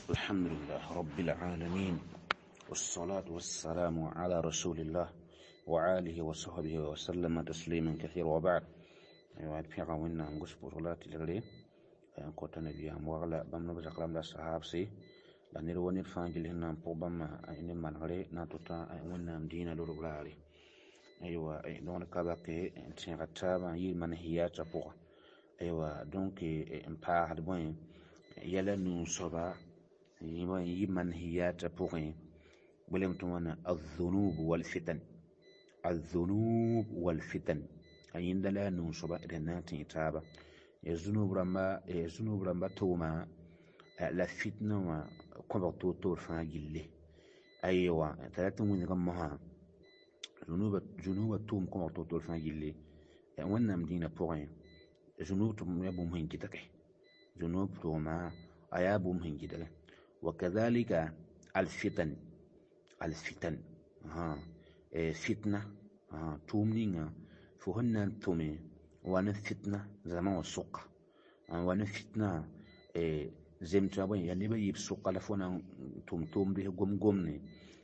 الحمد لله رب العالمين، والصلاة والسلام على رسول الله وآله وصحبه وسلم تسليما كثيرا، وبعد. أيوة، pẽga Wẽnnaam gʋs pʋsg la tɩlgre n kõta nabiyaam wagla bãmb neb zakram la sahabse la ned wa ned fãa gill sẽn na n pʋg bãmba ne manegre na n tʋta Wẽnnaam dĩinã lorg raare. Aywa, dõgd ka bake n tẽega taabã n yɩɩl manhiyatã pʋga. Aywa, donc n paasd bõe yɛla nuu soaba n yɩ manhiyatã pʋgẽ belem tɩ wãna الذنوب والفتن، الذنوب والفتن. A yẽnda la a nuu soaba d na n tẽ taaba ya zunub rãmba tʋʋma la fitna wã kõbg toor-toor fãa gilli. Aywa, t'a rat n wilg mosã zunubã tʋʋm kõbg toor-toor fãa gilli. Wẽnnaam dĩinã pʋgẽ, zunub tʋʋm yaa bũmb sẽn gɩdge, zunub tʋʋma a yaa bũmb sẽn gɩdge. وكذلك الفتن، الفتن، fitna tʋʋm ninga fo sẽn na n tʋme wa ne fitna zãma wã sʋka wa ne fitna zem tɩ bõe yaa neb a yiib sʋka la fo na n tʋm tʋʋmd gom-gomne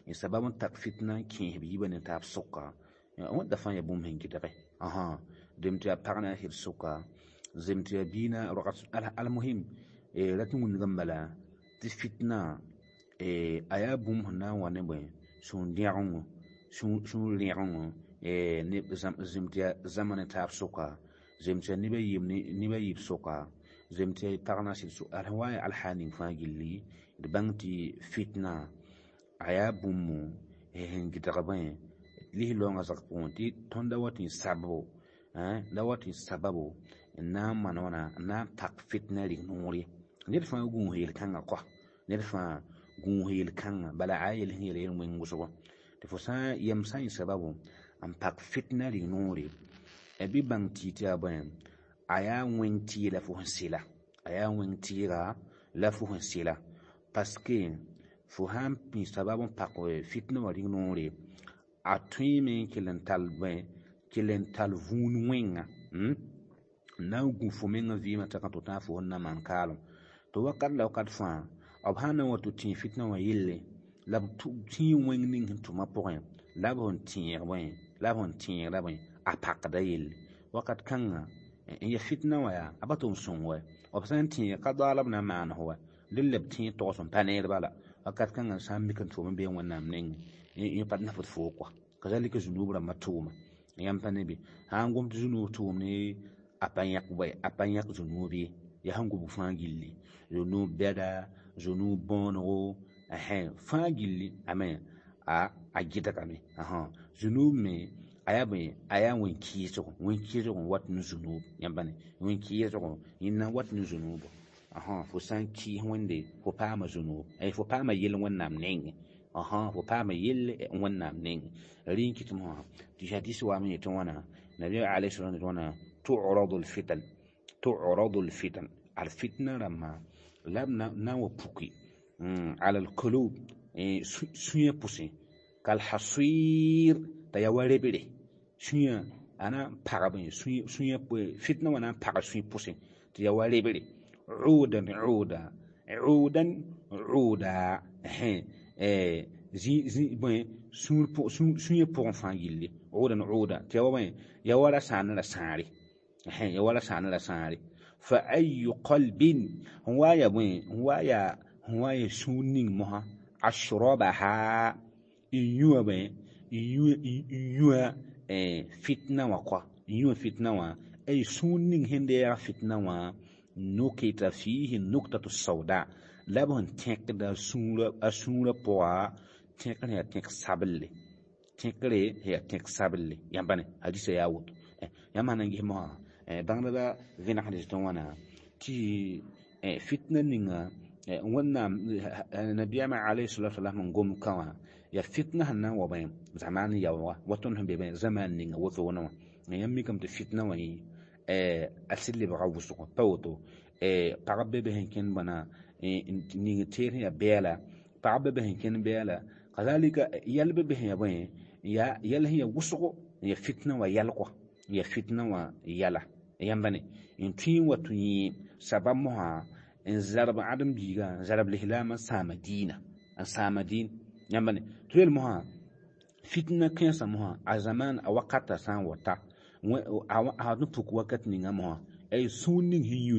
n sabab n tak fitna n kẽes b yiibã ne taab sʋka. Wẽnda fãa yaa bũmb sẽn gɩdge dem tɩ yaa pag na n sɩd sʋka, zem tɩ yaa biig na roag. Almuhim, rat n wilgame bala tɩ fitna a yaa bũmb sẽn na n wa ne bõe sũ-dẽgengo, sũ-rẽgengo zem tɩ yaa zãma ne taab sʋka, zem tɩ yaa neb a yiib sʋka, zem tɩ yaa pag na n sɩd sʋka, sẽn wa n yaa alhaal ning fãa gilli. D bãng tɩ fitna a yaa bũmb sẽn gɩdg bõe lis laoongã zag pʋgẽ tɩ tõnd da wa tɩ n sabbo, da wa tɩ n sababo n na n maan wãna n na n pak fitna rig noor ye. Ned fãa gũus yel-kãngã kɔa, ned fãa gũus yel-kãngã bala a yel sẽn yel yel wẽng wʋsgo tɩ fo sã yɛm sã n yɩ sababu n pak fitna rig noore. Bɩ bãng tɩ yaa bõe a yaa wẽng tɩɩla la fo sẽn sɩla, a yaa wẽng tɩɩga la fo sẽn sɩla, parce que fo sã n pĩ sabab n pak fitna wã rig noore, a tõeme n kell n tall bõe, kell n tall vũun wẽnga n na n gũ fo meng vɩɩmã t'a ka tɩ fo sẽn na maan kaalem tɩ wakat la wakat fãa b sã n na n wa tɩ tẽ fitna wã yelle la b tĩig wẽng ning sẽn tʋmã pʋgẽ la b sẽn tẽeg bõe, la b sẽn tẽegda bõe a pakda yelle wakat kãngã n ya fitna wã yaa a pa tʋm sõng wɛ. B sã n tẽeg ka daoala b na n maan fo wɛ dẽn la b tẽeg togs n pa neer bala wakat kãngã sã n mik n tʋʋm n bee Wẽnnaam nengẽ yẽ pa nafd foo kɔa. Kazalika zunub rãmbã tʋʋma yãmb pa ne be sã n gom tɩ zunub tʋʋm ne a pa yãk bõe, a pa yãk zunub ye, yaa sẽn gomb fãa gilli, zunub bɛda, zunub bõonego fãa gilli ame a gɩdgame. Zunub me a yaa bõe, a yaa wẽn-kɩɩsgo, wẽn-kɩɩsg n wat ne zunub. Yãmb pa ne wẽn-kɩɩsgo yẽnda n wat ne zunubo. Fo sã n kɩɩs Wẽnde, fo paama zunub, fo paama yell Wẽnnaam nengẽ, fo paama yell Wẽnnaam nengẽ. Rẽ n kɩt mosã tɩ hadis waame yetɩ wãna nabiyaam alayhi salam yetɩ wãna: تعرض الفتن، تعرض الفتن, alfitna rãmbã la b na n wa puki على القلوب sũyã pʋsẽ كالحصير t'a yaa wa rebre sũyã a na n pagb sũyã, fitna wã na n pag sũy pʋsẽ tɩ yaa wa rebre عودا عودا عودا عودا bõe sũyã pʋgẽ fãa gilli عودا عودا tɩ yaa wa bõe, yaa wa ra sãan ra sãare, yaa wa ra sãan ra sãare. فأي قلب n wa yaa bõe, n wa yaa sũur ning mosã أشربها n yũa bõe, n yũa fitna wã kɔa, n yũa fitna wã ay sũur ning sẽn deeg fitna wã نكت فيه النكتة السوداء la b sẽn tẽkda a sũurã pʋga tẽkr yaa tẽk sabelle, tẽkre yaa tẽk sabelle. Yãmb pa ne hadisa yaa woto. Yãmb sã na n ges mosã bãngdbã vẽnegsd tɩ wãna tɩ fitna ninga Wẽnnaam nabiyaamã alayhi salatu wasalam n gom ka wã yaa fitna sẽn na n wa bõe zamaan yaooga wa tõnd sẽn be bõe zamaan ninga wotone wã. Yãmb mikame tɩ fitna wã yẽ a sɩd lebga wʋsgo pa woto. Pagb be be sẽn kẽnd bãna ning teer sẽn yaa bɛɛla, pagb be be sẽn kẽnd bɛɛla, kazalika yɛl be be sẽn yaa bõe yaa yɛl sẽn yaa wʋsgo n yaa fitna wã yɛl kɔa, n yaa fitna wã yɛla. Yãmba ne n tõe n wa tɩ yẽ sabab mosã. N zarb ãdem biiga n zarb lislaamã n sãama diinã n sãama diin yãmba ne tɩ yel mosã fitna kẽensã mosã a zaman a wakata sã n wa ta a n puk wakat ninga mosã ay sũur ning sẽn yũ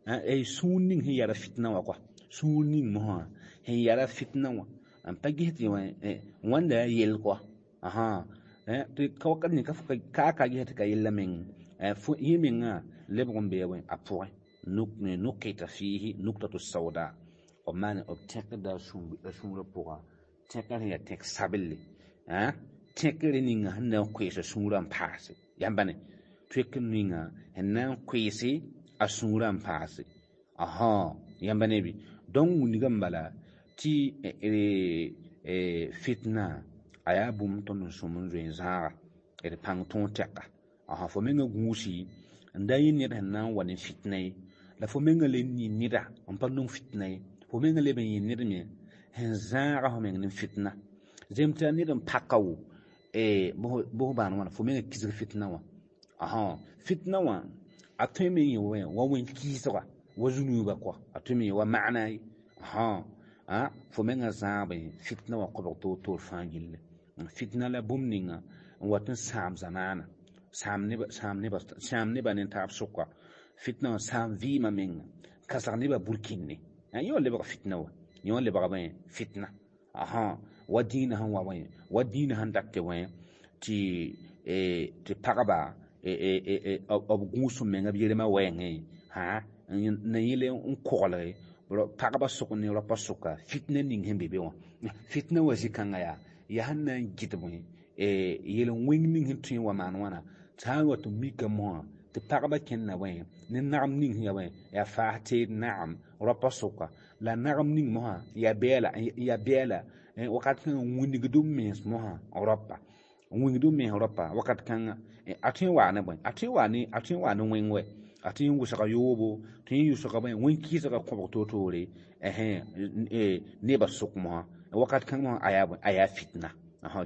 ay sũur ning sẽn yara fitna wã kɔa sũur ning mosã sẽn yara fitna wã n pa ges tɩ wãnda yaa yell kɔa tɩ ka wakat ning ka ka ges tɩ ka yella meng yẽ mengã lebg n bee a pʋgẽ nukita fiihi nuktatu sauda b maan b tẽkda a sũurã pʋga tẽkr sẽn yaa tẽk sabelle tẽkr ninga sẽn na n koees a sũurã n paase yãmba ne tẽkr ninga sẽn na n koeese a sũurã n paase yãmba ne bɩ donc wilgame bala tɩ fitna a yaa bũmb tõnd n sõm n zoe n zãaga d pãng tõog tɛka fo menga gũusi n da yẽ ned sẽn na n wa ne fitna ye la fo menga le yɩ neda n pa nong fitna ye fo menga leb n yɩ ned me sẽn zãaga fo meng ne fitna zem tɩ a ned n paka wo bʋs bãan wãna fo menga kisg fitna wã fitna wã a tõe me n yẽ wa wẽn-kɩɩsga wa zunuuba kɔa a tõe me yẽ wa maana ye fo menga zãabe fitna wã kobg toor-toor fãa gilli fitna la bũmb ninga n wat n sãam zamaana sãam nebã ne taab sʋka fitna wã sãam vɩɩmã menga kãsg nebã burkĩnne yẽ wã lebga fitna wa yẽ wã lebga bõe fitna wa dĩinã sẽn wa bõe wa dĩinã sẽn dat tɩ bõe tɩ pagba b gũus menga b yelmã wɛɛngẽ na yẽl n koglge pagba sʋk ne raopã sʋka fitna ning sẽn be be wã fitna wã zĩ-kãngã yaa sẽn na n gɩd bõe yel-wẽng ning sẽn tõe n wa maan wãna tɩ sã n wa tɩ mika mosã tɩ pagba kẽnda bõe ne nagem ning sẽn yaa bõe yaa faas teed nagem raopã sʋka la nagem ning mosã yaa bɛɛla wakat kãngã wĩnigd b mens mosã raopa wĩgd b mens raopa wakat kãnga a tõe n waa ne bõe a tõe n waa ne wẽng wɛ a tõe n wʋsga yoobo tõe n yʋsga bõe wẽn-kɩɩsga kõbg toor-toore nebã sʋk mosã wakat kãng mosã a yaa bõe a yaa fitna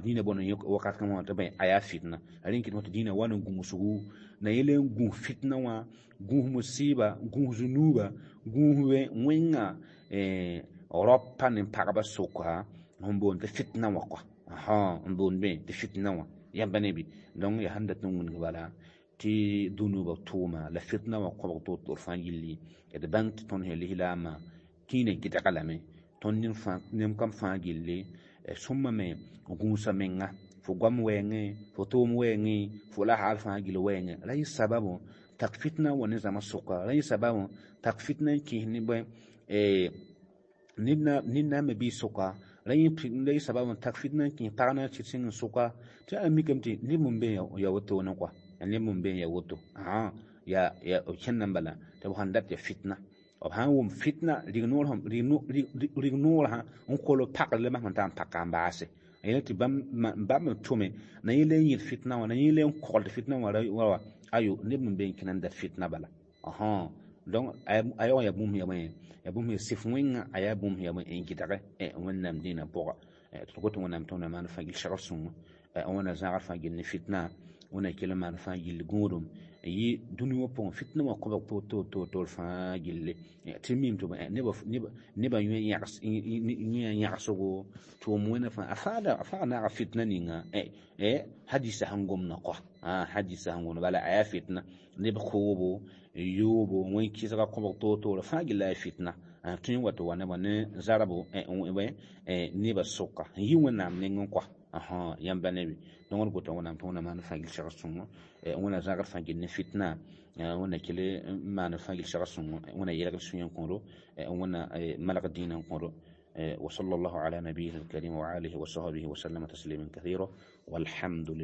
dĩinã boond wakat kãng mosã tɩ bõe a yaa fitna rẽn kɩt tɩ dĩinã wa n gũusgu na yel n gũus fitna wã gũus musɩɩba gũus zunuuba gũus wẽnga raopa ne pagba sʋka n boond tɩ fitna wã kɔa n boond bẽ tɩ fitna wã yãmba ne bɩ donc yaa sẽn dat n wilg bala tɩ dũnubã tʋʋma la fitna wã kõbg toor-toor fãa gilli d bãng tɩ tõnd sẽn lislaamã kĩinã gɩdga lame tõnd nem kam fãa gilli sõma me gũusa menga fo goam wɛɛngẽ fo tʋʋm wɛɛngẽ fo la haal fãa gill wɛɛngẽ ra yɩ sababu tak fitna wa ne zãma sʋka ra yɩ sababu tak fitna n kẽes ne bõe ned na n me bɩ sʋka ra yɩ sababu tak fitna n kẽes pag na n sɩd sẽng n sʋka tɩ a mikame tɩ neb n be ya wotone kɔa neb n be ya woto yaa b kẽnda n bala tɩ b sãn dat ya fitna b sãn wʋm fitna rig-noor sã n kol b pakr la masem t'a n paka n baase yẽla tɩ bãmb n tʋme na yẽ le n yẽd fitna wã na yẽ le n kogld fitna wã wa ayo neb n be n kẽna n dat fitna bala donc a yaoog yaa bũmb yaa bũmb yaa sɩf wẽnga a yaa bũmb yaa n gɩdge Wẽnnaam dĩinã pʋga tɩ got Wẽnnaam tõnd maan fãa gill segr sõngo Wẽnna zãagr fãa gill ne fitna Wẽnna kell n maan fãa gill gũudum yɩ dũni wã pʋgẽ fitna wã kõbg toor-toor fãa gilli tɩ mim tɩ nebã yẽ yãgsgo tʋʋm wẽnna fãa a fãa naaga fitna ninga hadisa sẽn gomdã kɔa hadisa sẽn gomdã bala a yaa fitna neb koobo yoobo wẽn-kɩsga kõbg toor-toor fãa gilla yaa fitna tõe n wa tɩ wa nebã ne zarbo nebã sʋka n yi Wẽnnaam nengẽ kɔa yãmba ne bɩ donc d gota Wẽnnaam tɩ Wẽnnaam maan fãa gill segr sõngo Wẽnna zãgr fãa gill ne fitna Wẽnna kell n maan fãa gill segr sõngo Wẽnna yɛlgd sũyã n kõdo Wẽnna malg dĩinã n kõdo وصلى الله على نبيه الكريم وآله وصحبه وسلم تسليما كثيرا والحمد لله.